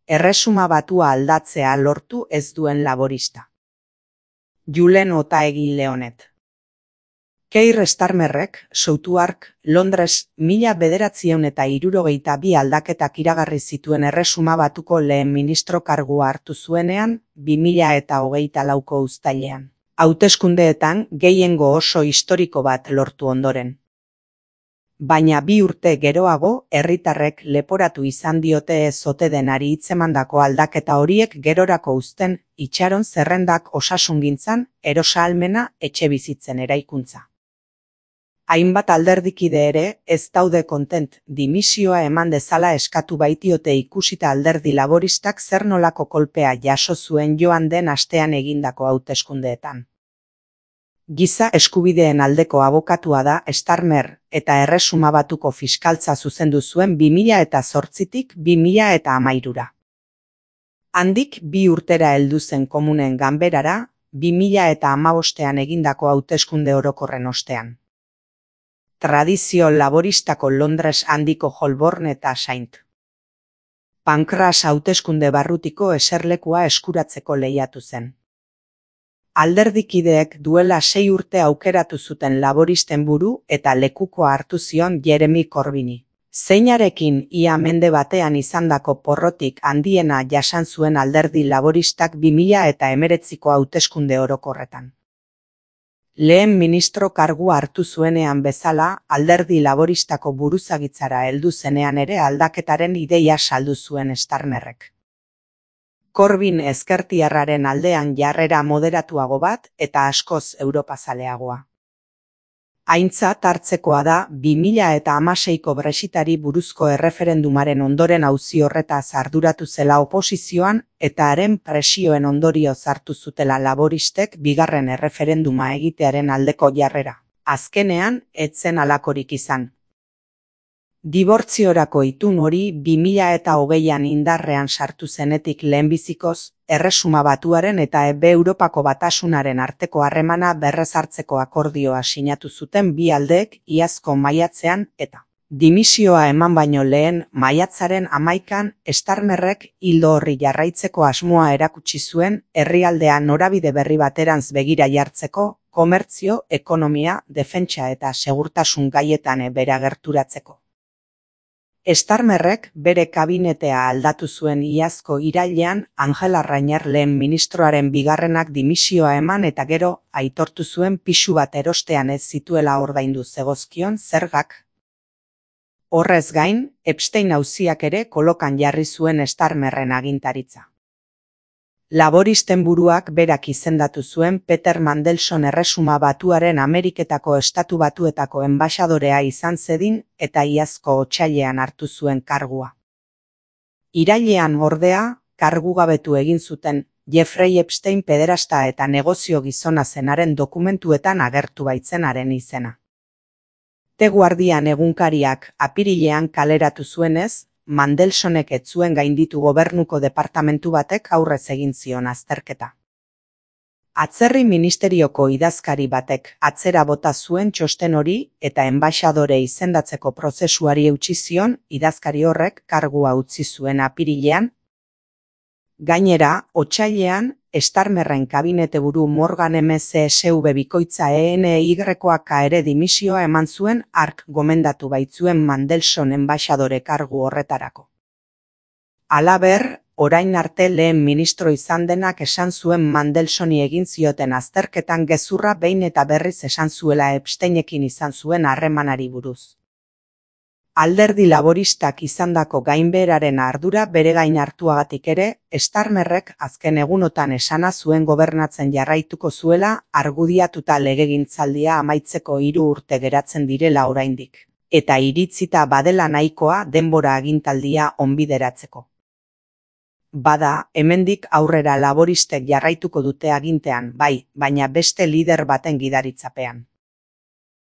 Erresuma Batua aldatzea lortu ez duen laborista. Julen Otaegi Leonet. Keir Starmerrek, Southwark, Londres, 1962 aldaketak iragarri zituen Erresuma Batuko lehen ministro kargua hartu zuenean, 2024ko uztailean. Hauteskundeetan gehiengo oso historiko bat lortu ondoren. Baina 2 urte geroago, herritarrek leporatu izan diote ez ote denari hitzemandako aldaketa horiek gerorako uzten, itxaron zerrendak osasungintzan, erosahalmena, etxebizitzen eraikuntza. Hainbat alderdikide ere, ez daude kontent, dimisioa eman dezala eskatu baitiote ikusita alderdi laboristak zer nolako kolpea jaso zuen joan den astean egindako hauteskundeetan. Giza eskubideen aldeko abokatua da Starmer eta Erresuma Batuko fiskaltza zuzendu zuen 2008tik 2013ra. Handik 2 urtera heldu zen Komunen Ganberara, 2015ean egindako hauteskunde orokorren ostean. Tradizio laboristako Londres handiko Holborn eta St. Pancras hauteskunde barrutiko eserlekua eskuratzeko lehiatu zen. Alderdikideek duela 6 urte aukeratu zuten laboristen buru eta lekukoa hartu zion Jeremy Corbyni, zeinarekin ia mende batean izandako porrotik handiena jasan zuen alderdi laboristak 2019ko hauteskunde orokorretan. Lehen ministro kargua hartu zuenean bezala, alderdi laboristako buruzagitzara heldu zenean ere aldaketaren ideia saldu zuen Starmerrek. Corbyn ezkertiarraren aldean jarrera moderatuago bat eta askoz europazaleagoa. Aintzat hartzekoa da 2016ko Brexitari buruzko erreferendumaren ondoren auzi horretaz arduratu zela oposizioan eta haren presioen ondorioz hartu zutela laboristek bigarren erreferenduma egitearen aldeko jarrera. Azkenean, ez zen halakorik izan. Dibortziorako itun hori 2020an indarrean sartu zenetik lehenbizikoz, Erresuma Batuaren eta Europako Batasunaren arteko harremana berrezartzeko akordioa sinatu zuten bi aldeek iazko maiatzean eta dimisioa eman baino lehen maiatzaren 11an Starmerrek ildo horri jarraitzeko asmoa erakutsi zuen herrialdea norabide berri baterantz begira jartzeko, komertzio, ekonomia, defentsa eta segurtasun gaietan bera gerturatzeko. Starmerrek bere kabinetea aldatu zuen iazko irailean Angela Rayner lehen ministroaren bigarrenak dimisioa eman eta gero aitortu zuen pisu bat erostean ez zituela ordaindu zegozkion zergak. Horrez gain, Epstein auziak ere kolokan jarri zuen Starmerren agintaritza. Laboristen buruak berak izendatu zuen Peter Mandelson Erresuma Batuaren Ameriketako Estatu Batuetako enbaxadorea izan zedin eta iazko otsailean hartu zuen kargua. Irailean ordea, kargugabetu egin zuten Jeffrey Epstein pederasta eta negozio gizona zenaren dokumentuetan agertu baitzenaren izena. The Guardian egunkariak apirilean kaleratu zuenez, Mandelsonek ez zuen gainditu gobernuko departamentu batek aurrez egin zion azterketa. Atzerri ministerioko idazkari batek atzera bota zuen txosten hori eta enbaxadore izendatzeko prozesuari eutsi zion idazkari horrek kargua utzi zuen apirilean. Gainera, otsailean, Starmerren kabinete buru Morgan MCSV bikoitza ENYK ere dimisioa eman zuen hark gomendatu baitzuen Mandelson enbaxadore kargu horretarako. Halaber, orain arte lehen ministro izan denak esan zuen Mandelsoni egin zioten azterketan gezurra behin eta berriz esan zuela Epsteinekin izan zuen harremanari buruz. Alderdi laboristak izandako gainbeheraren ardura bere gain hartuagatik ere, Starmerrek azken egunotan esana zuen gobernatzen jarraituko zuela argudiatuta legegintzaldia amaitzeko 3 urte geratzen direla oraindik, eta iritzita badela nahikoa denbora agintaldia onbideratzeko. Bada, hemendik aurrera laboristek jarraituko dute agintean, bai, baina beste lider baten gidaritzapean.